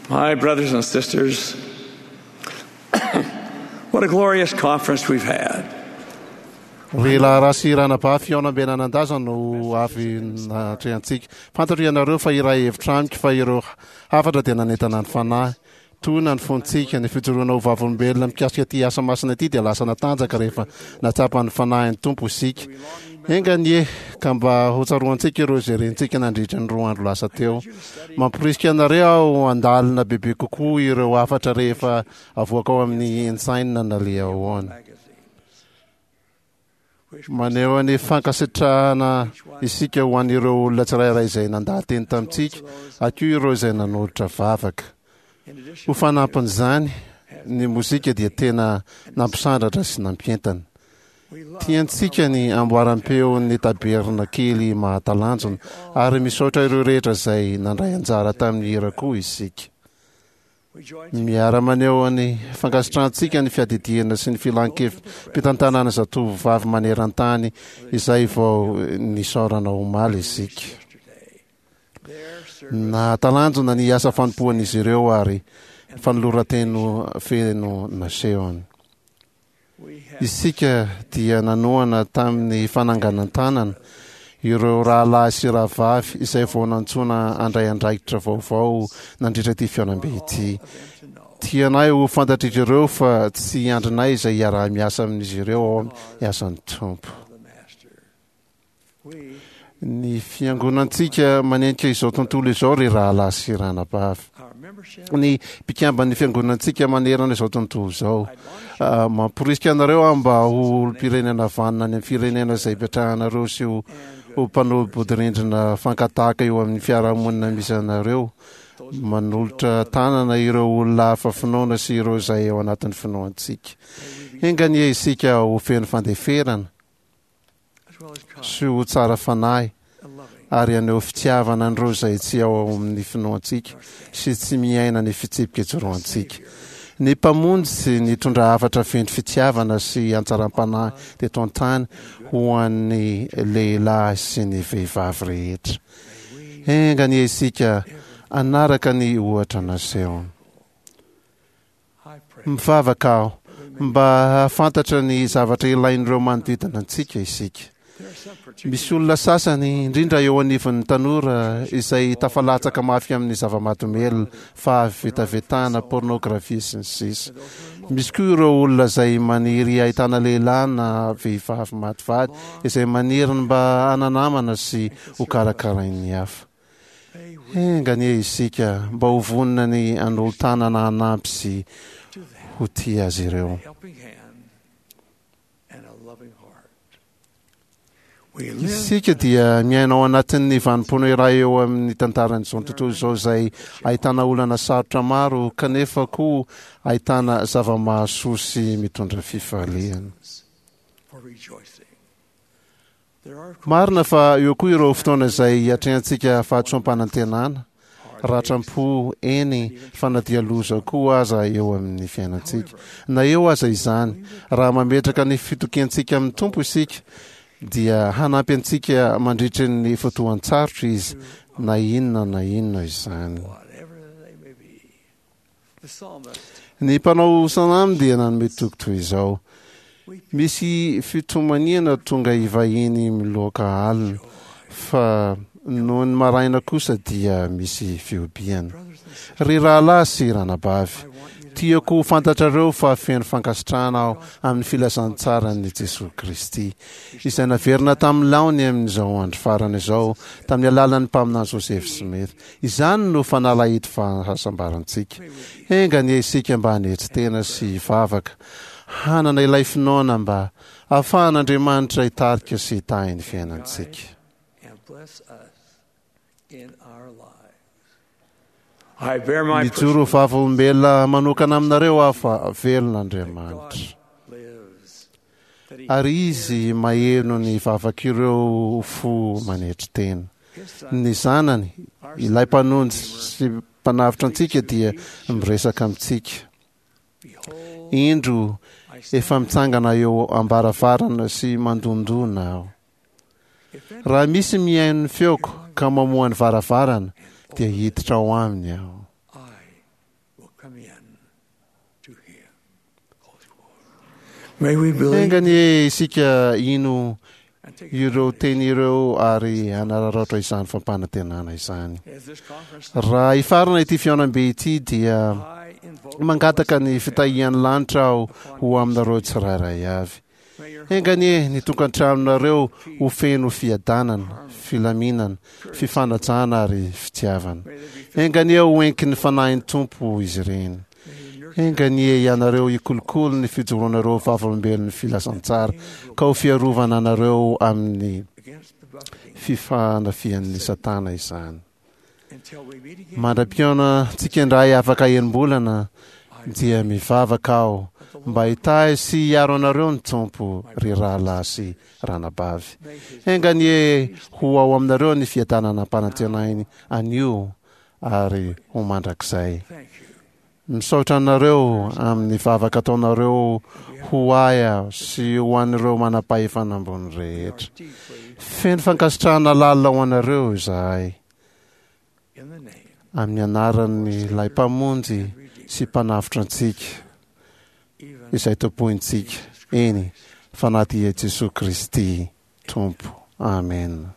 My brothers and sisters, what a glorious conference we've had. Ry raharaha sy ranabavy fihaonambe nanan-daza no avy natrehantsika. Fantatro ianareo fa iray hevitra amiko fa ireo hafatra dia nanentana ny fanahy. Tohina ny fontsika. Ny fijoroana ho vavolombelona mikasika ity asa masina ity dia lasa natanjaka rehefa nahatsapa ny Fanahin'ny Tompo isika. Enga anie ka mba hotsaroantsika ireo izay rentsika nandritra ny roa andro lasa teo. Mamporisika anareo aho handalina bebe kokoa ireo hafatra rehefa avoaka ao amin'ny Ensign na Liahona. Maneho ny fankasitrahana isika ho an'ireo olona tsirairay izay nandaha-teny tamintsika, ary koa ireo izay nanolotra vavaka. Ho fanampin'izany, ny mozika dia tena nampisandratra sy nampientana. Tiantsika ny amboaram-peon'ny tabernakely mahatalanjona, ary misaotra ireo rehetra izay nandray anjara tamin'ny hira koa isika. Miara-maneho ny fankasitrahantsika ny fiadidiana sy ny filan-kevi-pitantanana zatovovavy maneran-tany izay vao nisaorana omaly isika. Nahatalanjona ny asa fanompoan'izy ireo ary fanoloran-tena feno nasehony. Isika dia nanohana tamin'ny fananganan-tanana ireo rahalahy sy rahavavy izay vao nantsoina handray andraikitra vaovao nandritra ity fihaonambe ity. Tianay ho fantatr'izy ireo fa tsy andrinay izay hiaraha-miasa amin'izy ireo ao amin'ny asan'ny Tompo. Ny fiangonantsika manenika izao tontolo izao ry rahalahy sy ranabavy. Ny mpikamban'ny fiangonantsika manerana izao tontolo izao. Ah, mamporisika anareo aho mba ho olom-pirenena vanona any amin'ny firenena izay ipetrahanareo sy ho ho mpanolo-bodirindrina fankatahaka eo amin'ny fiarahamonina misy anareo. Manolotra tanana ireo olona hafa finoana sy ireo izay ao anatin'ny finoantsika. Enga anie isika ho feno fandeferana sy ho tsara fanahy ary haneho fitiavana an'ireo izay tsy ao amin'ny finoantsika sy tsy miaina ny fitsipika ijoroantsika. Ny Mpamonjy nitondra hafatra feno fitiavana sy hatsaram-panahy teto an-tany ho an'ny lehilahy sy ny vehivavy rehetra. Enga anie isika hanaraka ny ohatra nasehony. Mivavaka aho mba hahafantatra ny zavatra ilain'ireo manodidina antsika isika. Misy olona sasany, indrindra eo anivon'ny tanora, izay tafalatsaka mafy amin'ny zava-mahadomelina, fahavetavetana, pornografia, sy ny sisa. Misy koa ireo olona izay maniry hahitana lehilahy na vehivavy maty vady, izay maniry ny mba hana-namana sy hokarakarain'ny hafa. Enga anie isika mba ho vonona ny hanolo-tanana hanampy sy ho tia azy ireo. Isika dia miaina ao anatin'ny vanim-potoana iray eo amin'ny tantaran'izao tontolo izao izay ahitana olana sarotra maro kanefa koa ahitana zava-mahasoa sy mitondra fifaliana. Marina fa eo koa ireo fotoana izay hiatrehantsika fahadisoam-panantenana, ratram-po, eny fa na dia loza koa aza eo amin'ny fiainantsika. Na eo aza izany, raha mametraka ny fitokiantsika amin'ny Tompo isika, dia hanampy antsika mandritry ny fotoan-tsarotra Izy, na inona na inona izany. Ny mpanao salamo dia nanome toky toy izao, Misy fitomaniana tonga hivahiny miloaka alina, fa nony maraina kosa dia misy fihobiana. Ry rahalahy sy ranabavy, tiako ho fantatrareo fa feno fankasitrahana aho amin'ny filazantsaran'i Jesoa Kristy, izay naverina tamin'ny laony amin'izao andro farany izao tamin'ny alalan'ny mpaminany Joseph Smith. Izany no fanalahidy fahasambarantsika. Enga anie isika mba hanetry tena sy hivavaka, hanana ilay finoana mba hahafahan'Andriamanitra hitarika sy hitahy ny fiainantsika. Mijoro ho vavolombelona manokana aminareo aho fa velona Andriamanitra. Ary Izy maheno ny vavak'ireo fo manetry tena. Ny Zanany, ilay Mpanonjy sy Mpanavotra antsika dia miresaka amintsika. Indro, efa mitsangana eo am-baravarana sy mandondona aho. Raha misy mihaino ny feoko ka mamoha ny varavarana, dia hiditra ao aminy aho. Enga anie isika hino ireo teny ireo ary hanararaotra izany fampanantenana izany. Raha hifarana ity fihaonambe ity dia mangataka ny fitahian'ny lanitra aho ho aminareo tsirairay avy. Enga anie ny tokantranonareo ho feno fiadanana, filaminana, fifanajana ary fitiavana. Enga anie ho enkin'ny Fanahin'ny Tompo izy ireny. Enga anie ianareo hikolokolo ny fijoroanareo vavolombelon'ny filazantsara ka ho fiarovana anareo amin'ny fifanafihan'ny Satana izany. Mandra-pihaona antsika indray afaka enim-bolana dia mivavaka aho mba hitahy sy hiaro anareo ny Tompo ry rahalahy sy ranabavy. Enga anie ho ao aminareo ny fiadanana ampanantenainy anio ary ho mandrakizay. Misaotra anareo amin'ny vavaka ataonareo ho ahy aho sy ho an'ireo manam-pahefana ambony rehetra. Feno fankasitrahana lalina ho anareo izahay. Amin'ny anaran'ilay Mpamonjy sy Mpanavotra antsika, izay tompointsika, eny, fa na dia Jesoa Kristy Tompo. Amena.